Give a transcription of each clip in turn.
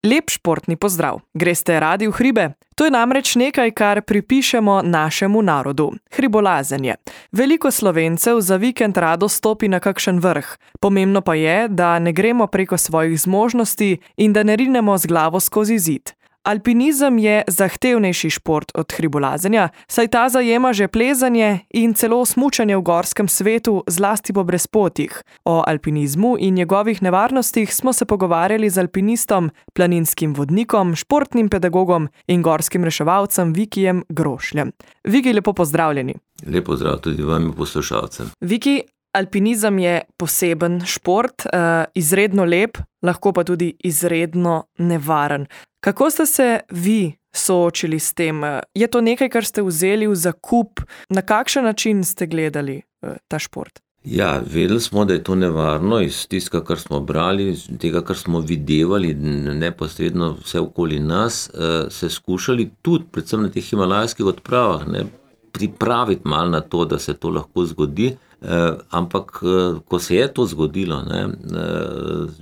Lep športni pozdrav. Greste radi v hribe? To je namreč nekaj, kar pripišemo našemu narodu. Hribolazenje. Veliko Slovencev za vikend rado stopi na kakšen vrh. Pomembno pa je, da ne gremo preko svojih zmožnosti in da ne rinemo z glavo skozi zid. Alpinizem je zahtevnejši šport od hribolazenja, saj ta zajema že plezanje in celo smučanje v gorskem svetu, zlasti po brezpotjih. O alpinizmu in njegovih nevarnostih smo se pogovarjali z alpinistom, planinskim vodnikom, športnim pedagogom in gorskim reševalcem Vikijem Grošljem. Viki, lepo pozdravljeni. Lep pozdrav tudi vam poslušalcem. Viki, alpinizem je poseben šport, izredno lep, lahko pa tudi izredno nevaren. Kako ste se vi soočili s tem? Je to nekaj, kar ste vzeli v zakup? Na kakšen način ste gledali ta šport? Ja, vedeli smo, da je to nevarno iz tistega, kar smo brali, iz tega, kar smo videvali neposredno vse okoli nas, se skušali tudi, predvsem na teh himalajskih odpravah, pripraviti malo na to, da se to lahko zgodi. Ampak, ko se je to zgodilo,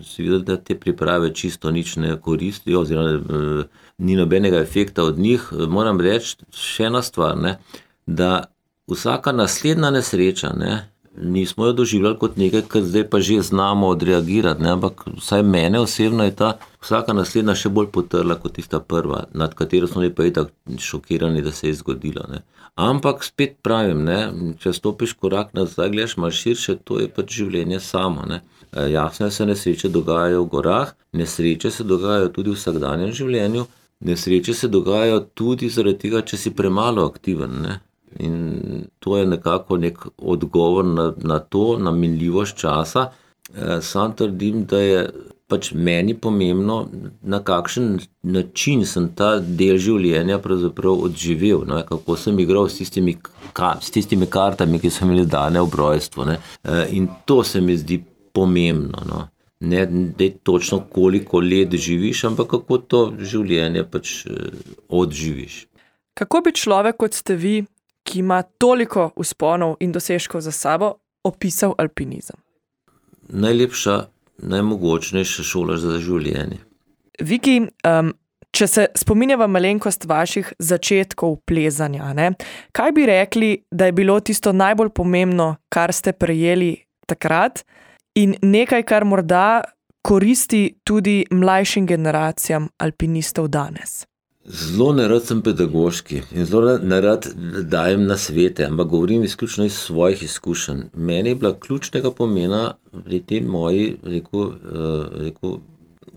si videl, da te priprave čisto nič ne koristijo, oziroma ni nobenega efekta od njih. Moram reči še ena stvar, da vsaka naslednja nesreča, nismo jo doživljali kot nekaj, kar zdaj pa že znamo odreagirati, ampak vsaj mene osebno je ta vsaka naslednja še bolj potrla kot tista prva, nad katero smo pa itak šokirani, da se je zgodilo. Ampak spet pravim, če stopiš korak nazaj, gledaš malo širše, to je pač življenje samo. Jasno se nesreče dogajajo v gorah, nesreče se dogajajo tudi v vsakdanjem življenju, nesreče se dogajajo tudi zaradi tega, če si premalo aktiven. In to je nekako nek odgovor na to, na minljivost časa. Sam trdim, da je pač meni pomembno, na kakšen način sem ta del življenja pravzaprav odživel, kako sem igral s tistimi kartami, ki so imeli dane ob rojstvu. In to se mi zdi pomembno. Ne točno koliko let živiš, ampak kako to življenje pač odživiš. Kako bi človek, kot ste vi, ki ima toliko vzponov in dosežkov za sabo, opisal alpinizem? Najlepša, najmogočnejša šola za življenje. Viki, če se spominjava malenkost vaših začetkov plezanja, kaj bi rekli, da je bilo tisto najbolj pomembno, kar ste prejeli takrat in nekaj, kar morda koristi tudi mlajšim generacijam alpinistov danes? Zelo nerad sem pedagoški in zelo nerad dajem nasvete, ampak govorim izključno iz svojih izkušenj. Meni je bila ključnega pomena pri tem moji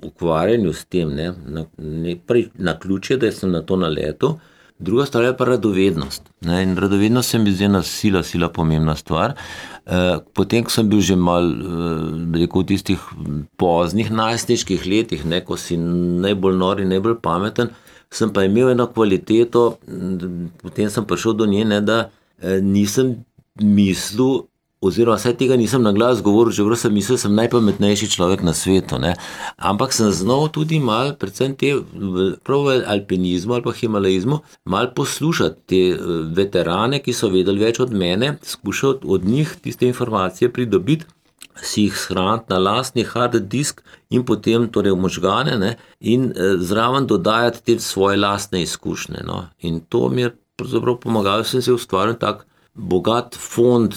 ukvarjanju s tem, na ključje, da sem na to naletel. Druga stvar je pa radovednost. In radovednost se mi zdi ena sila pomembna stvar. Potem, ko sem bil že malo v tistih poznih najstniških letih, ko si najbolj nor in najbolj pameten, sem pa imel eno kvaliteto, potem sem prišel do nje, da nisem mislil, oziroma vsaj tega nisem na glas govoril, čeprav sem mislil, da sem najpametnejši človek na svetu. Ampak sem znal tudi malo, predvsem prav v alpinizmu ali pa himalajizmu, malo poslušati te veterane, ki so vedeli več od mene, skušati od njih tiste informacije pridobiti, si jih shraniti na lastni hard disk in potem v možgane in zraven dodajati te svoje lastne izkušnje. In to mi je pravzaprav pomagalo, sem se ustvaril tak bogat fond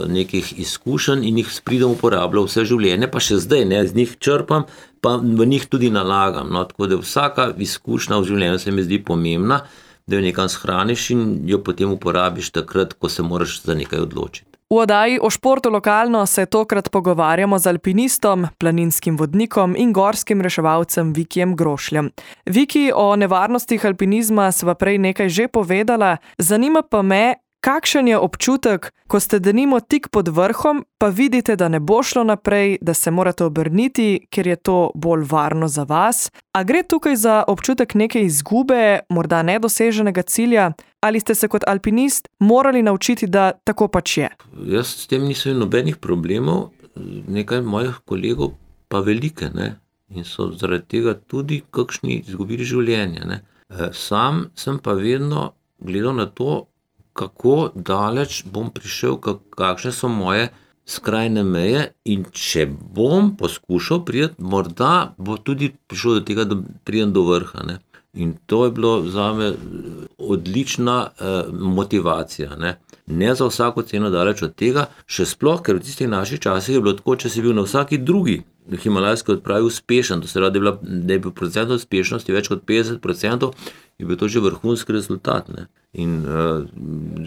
nekih izkušenj in jih pridem uporabljal vse življenje, pa še zdaj, z njih črpam, pa v njih tudi nalagam. Tako da vsaka izkušnja v življenju se mi zdi pomembna, da jo nekam shraniš in jo potem uporabiš takrat, ko se moraš za nekaj odločiti. V oddaji o športu lokalno se tokrat pogovarjamo z alpinistom, planinskim vodnikom in gorskim reševalcem Vikijem Grošljem. Viki, o nevarnostih alpinizma sva prej nekaj že povedala, zanima pa me, kakšen je občutek, ko ste denimo tik pod vrhom, pa vidite, da ne bo šlo naprej, da se morate obrniti, ker je to bolj varno za vas. A gre tukaj za občutek neke izgube, morda nedoseženega cilja, ali ste se kot alpinist morali naučiti, da tako pač je? Jaz s tem nisem nobenih problemov, nekaj mojih kolegov pa velike, in so zaradi tega tudi kakšni izgubili življenje. Sam sem pa vedno gledal na to, kako daleč bom prišel, kakšne so moje skrajne meje in če bom poskušal priti, morda bo tudi prišlo do tega, da pridem do vrha. Ne. In to je bilo zame odlična motivacija. Ne za vsako ceno daleč od tega, še sploh, ker v tistih naših časih je bilo tako, če si bil na vsaki drugi himalajski odpravi uspešen, to se radi, da je bil procent uspešnosti več kot 50%, je bil to že vrhunski rezultat. Ne. In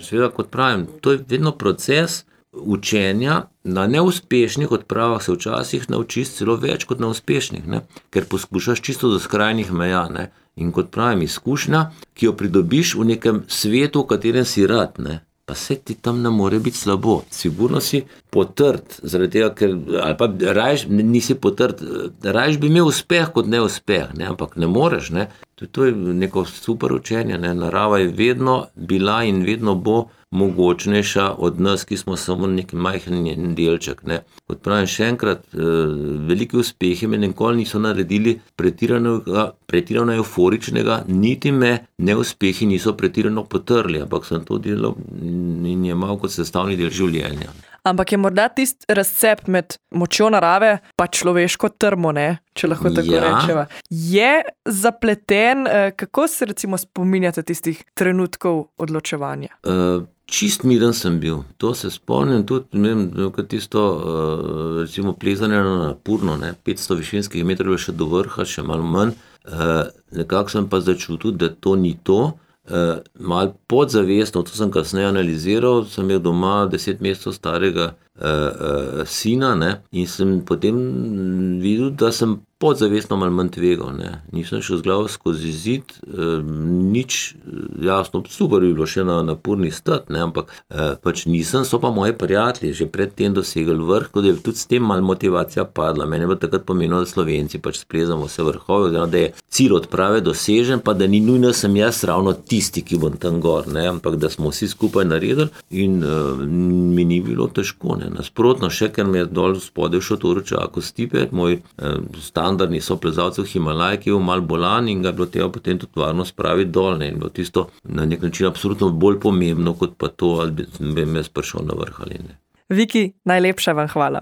seveda, kot pravim, to je vedno proces učenja. Na neuspešnih odpravah se včasih naučiš celo več kot na uspešnih, ne. Ker poskušaš čisto do skrajnih meja. Ne. In kot pravim, izkušnja, ki jo pridobiš v nekem svetu, v katerem si rad, ne. Pa se ti tam ne more biti slabo. Sigurno si potrt, zaradi tega, ker, ali pa rajš, nisi potrt, rajš bi imel uspeh kot neuspeh, ne, ampak ne moreš, ne. To je neko super učenje, ne. Narava je vedno bila in vedno bo mogočnejša od nas, ki smo samo neki majhen delček, ne. Kot pravim še enkrat, veliki uspehi me nikoli niso naredili pretirano euforičnega, niti me neuspehi niso pretirano potrli, ampak sem to delal in je malo kot sestavni del življenja. Ampak je morda tisti razcep med močjo narave pa človeško trmo, ne? Če lahko tako rečeva. Je zapleten, kako se recimo spominjate tistih trenutkov odločevanja? Čist miren sem bil, to se spomnim tudi, ne vem, tisto recimo plezanje na Napurno, ne, 500 višinskih metrov še do vrha, še malo manj, nekako sem pa začutil, da to ni to, malo podzavestno, to sem kasneje analiziral, sem imel doma 10 mesecev starega sina, ne, in sem potem videl, da sem podzavestno malo manj tvegal, ne. Nisem šel z glavo skozi zid, nič, jasno, super bi bilo še na Napurni stati, ne, ampak pač nisem, so pa moji prijatelji že pred tem dosegli vrh, tako da je tudi s tem malo motivacija padla. Meni je bilo takrat pomenilo, da Slovenci pač splezamo vse vrhove, oziroma da je cilj odprave dosežen, pa da ni nujno sem jaz ravno tisti, ki bom tam gor, ne, ampak da smo vsi skupaj naredili in mi ni bilo težko, ne. Nasprotno še, ker me je dol spodaj v šotoru čakal Stipe, moj standardni soplezalcev v Himalaj, ki je mal bolan in ga je bilo treba potem tudi varno spraviti dol, ne, in bilo tisto na nek način absolutno bolj pomembno, kot pa to, ali bi me prišel na vrh ali ne. Viki, najlepša vam hvala.